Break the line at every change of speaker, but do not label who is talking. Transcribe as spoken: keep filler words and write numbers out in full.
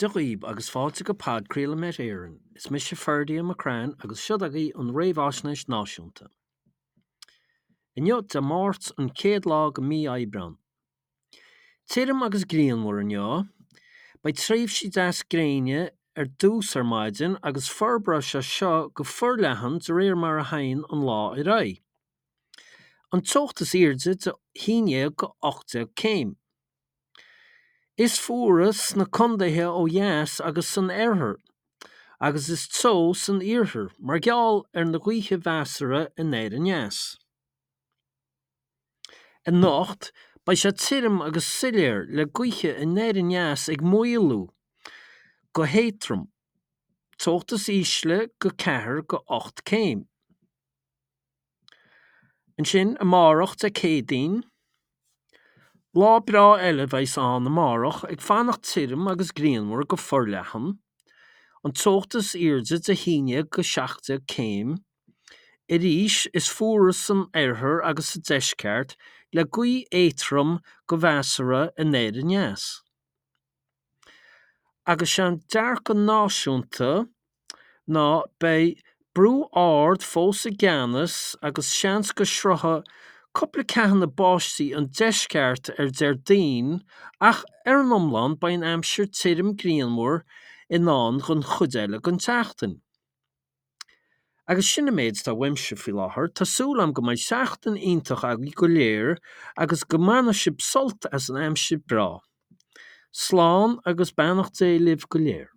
Dia dhaoib agus fáilte go podchraoladh Met Éireann. Is mise Ferdia McCrann agus seo agaibh an réamhaisnéis náisiúnta. Inniu Dé Máirt an chéad lá de mí Aibreán. Tirim agus grianmhar inniu. Beidh tréimhsí deas gréine ar dtús ar maidin agus forbróidh sé seo go forleathan de réir mar a théann an lá ar aghaidh. An teocht is airde de haon déag go ocht déag céim. Is fuaire sna contaetha ó dheas agus san oirthear, agus is teo san iarthar mar gheall ar na gaotha measartha anoir aneas. Anocht, beidh sé tirim agus soiléir le gaotha anoir aneas ag maolú go héadrom, teocht is ísle go ceathair go ocht céim. Ansin amárach Dé Céadaoin, lá breá eile a bheas ann amárach ag fanacht tirim agus grianmhar go forleathan, an teocht is airde de haon déag go seacht déag céim. Arís is fuaire san oirthear agus sa deisceart le gaoth éadrom go measartha anoir aneas. Agus sé an dearcadh náisiúnta ná beidh brú ard fós i gceannas agus seans go sroichfidh cúpla ceathanna báistí an deisceart ar Déardaoin ach ar an iomlán beidh an aimsir tirim grianmhar i ndán don chuid eile den tseachtain. Agus sin an méid atá uaimse faoi láthair, tá súil agam go mbeidh seachtain iontach agaibh go léir agus go mbainfidh sibh sult as an aimsir breá. Slán agus beannacht Dé libh go léir.